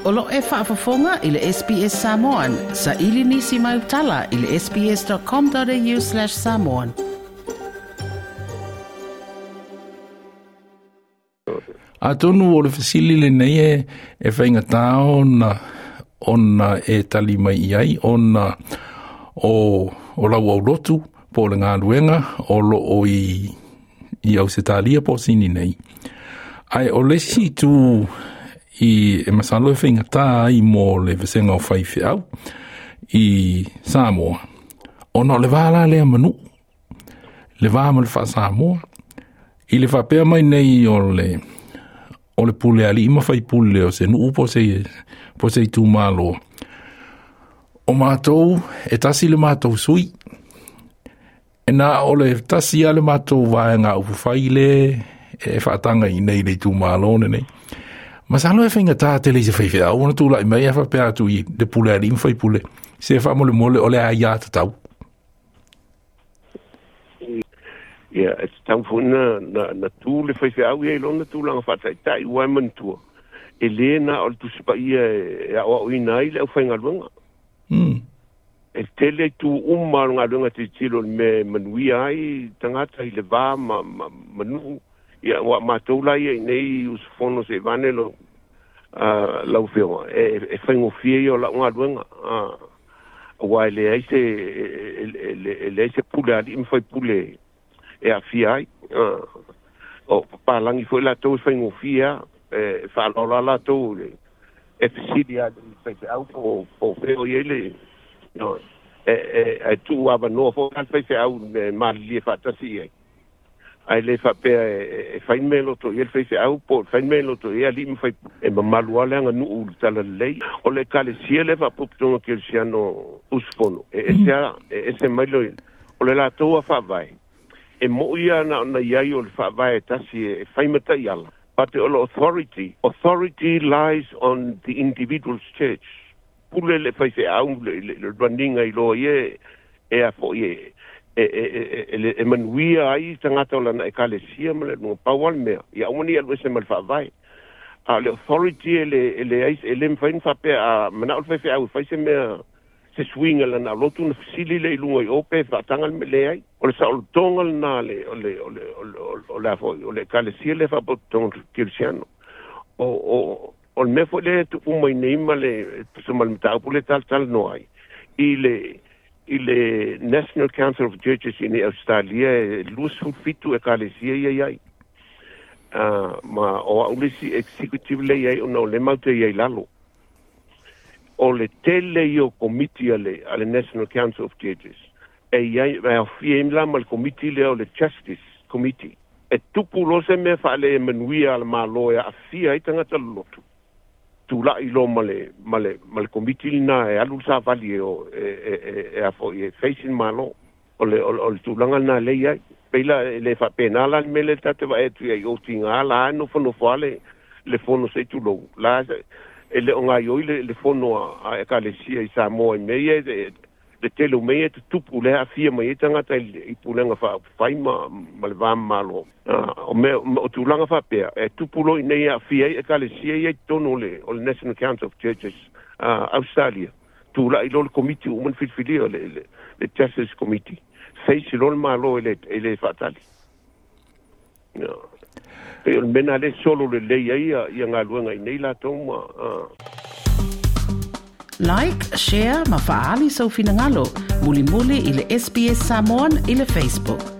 O lo e faafofoga i le SBS Samoan. Saili nisi mau tala i le sbs.com.au/samoan. Atonu o le fesili lenei e, e faigata ona ona e tali mai i ai ona o, o lau aulotu po o le galuega o lo o i, i Ausetalia po o Sini nei. Ae o le isi itu i e masalo e faigata ai mo le vasega o faifeau i Samoa, ona o le va la lea ma nuu, le va ma le faa-Samoa. I le faapea mai nei o le o le pule alii ma faipule o se nuu po se po se itumalo. O matou, e tasi le matou sui. E na o le tasi a le matou vaega upufai le e faataga i nei le itumalo lenei. Masalo e faigata tele i se faifeau ona tulai mai e faapea atu i le pule alii ma faipule. Se faamolemole o le aia tatau. Ia, e tatau foi na, na, na tu le faifeau ia i lona tulaga faataitai ua e manatua. E lē na o le Tusi Paia e aoaoina ai le aufaigaluega. E tele itu uma o le galuega tilotilo i le mea e manuia ai tagata i le va ma, ma, ma nuu. Ia, ua matou la ia i nei usufono seivane lo lau Afioga, e, e faigofie ia o lau galuega. Aua e leai se e leai se pule a alii ma faipule e aafia ai. O papalagi foi latou e faigofie lava, e faaaloalo latou e fesili lava i le faifeau po o fea o i ai le e e tuu avanoa foi le faifeau e malilie faatasi i ai. Ae le faapea e fai le mea e loto i ai le faifeau po o fai le mea e loto i ai alii ma faipule. E mamalu lava le aganuu i le talalelei. O le Ekalesia lea Faapotopotoga Kerisiano Usufono, e ese lava, e ese mai le, o le latou lava faavae. E mo'i lava na ona i ai o le faavae e tasi e fai ma taiala, but o le authority, authority lies on the individual's church. Pule le faifeau le raniga i loa ia e a foi e e e e manuia ai tagata o lana Ekalesia ma le atunuu. Pau lava le mea, ia aua ne i alu ese ma le faavae. A o le authority e le e leai e le mafai ona faapea a manao le faifeau e fai se mea se suiga i lana lotu ona fesili lea i luga i o pe faataga le mea. Leai. O le saolotoga lena o le o le o le o le a foi o le Ekalesia lea Faapotopotoga Kerisiano. O o o le mea foi lea e tupu mai nei ma le tusa ma le mataupu lea e talatalanoa ai i le i le National Council of Churches i nei Ausetalia e 27 Ekalesia ia i ai. Ma o au le isi executive lea i ai ona o lea matou te i ai i lalo. O le tele ia o komiti a le, a le National Council of Churches e i ai, e aofia ai la ma le komiti lea o le Justice Committee. E tupu loa se mea faale-manuia a le Malo e aafia ai tagata lolotu, tulai loa ma le, ma le, ma le komiti lena e alu le savali e o, e, e, e, e a foi, e face le Malo. O le, o, o le tulaga lena lea e i ai. Pei la, e le faapena la le mea lea ta te vaai atu i ai o tiga la e nofonofo lava le, le fono se i tulou, la e le o gaioi le, le fono a, a Ekalesia i Samoa i mea ia e, le tele o mea ia e tutupu lea e aafia mai ai tagata i, i pulega faaupufai ma, ma le va malo. O mea, o tulaga faapea, e tupu loa i inei e aafia ai Ekalesia ia i totonu o le, o le National Council of Churches Australia. Tulai loa le komiti ua uma ona filifilia, le, le, le Justice Committee. Face loa le Malo e le, e le faatali. No. Pei o le mea lena lea e solo lelei ai ia, ia galuega i nei latou ma. Like, share ma faaali sou finagalo mulimuli i le SBS Samoan i le Facebook.